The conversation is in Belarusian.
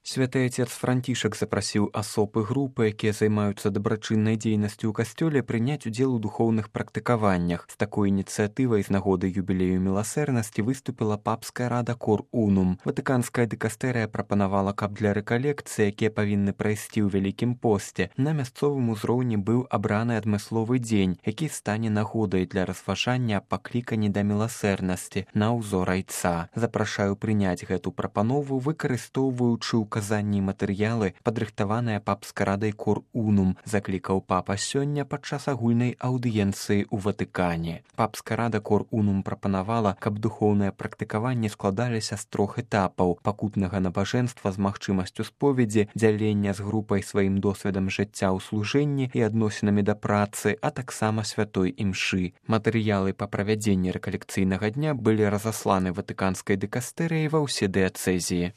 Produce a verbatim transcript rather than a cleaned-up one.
Святы Отец Францішак запрасіў асоб і групы, якія займаюцца дабрачыннай дзейнасцю ў касцёле, прыняць удзел у духоўных практыкаваннях. З такой ініцыятывай з нагоды юбілею міласэрнасці выступіла папская рада Кор Унум. Ватыканская дыкастэрыя прапанавала, каб для рэкалекцыі, якія павінны прайсці ў Вялікім посце, на мясцовым узроўні быў абраны адмысловы дзень, які стане нагодай для разважання аб паклікані да міласэрнасці на ўзор айца. Запрашаю прыняць гэту прапанову, выкарыстоўваючы ў казанні матэрыялы, падрыхтаваныя папскай радай Кор Унум, заклікаў папа сёння падчас агульнай аўдыенцыі ў Ватыкане. Папская рада Кор Унум прапанавала, каб духоўныя практыкаванні складаліся з трох этапаў: пакутнага набажэнства з магчымасцю споведзі, дзялення з групай сваім досведам жыцця ў служэнні і адносінамі да працы, а таксама святой імшы. Матэрыялы па правядзенні рэкалекцыйнага дня былі разасланы ватыканскай дыкастэрыяй ва ўсе дыяцэзіі.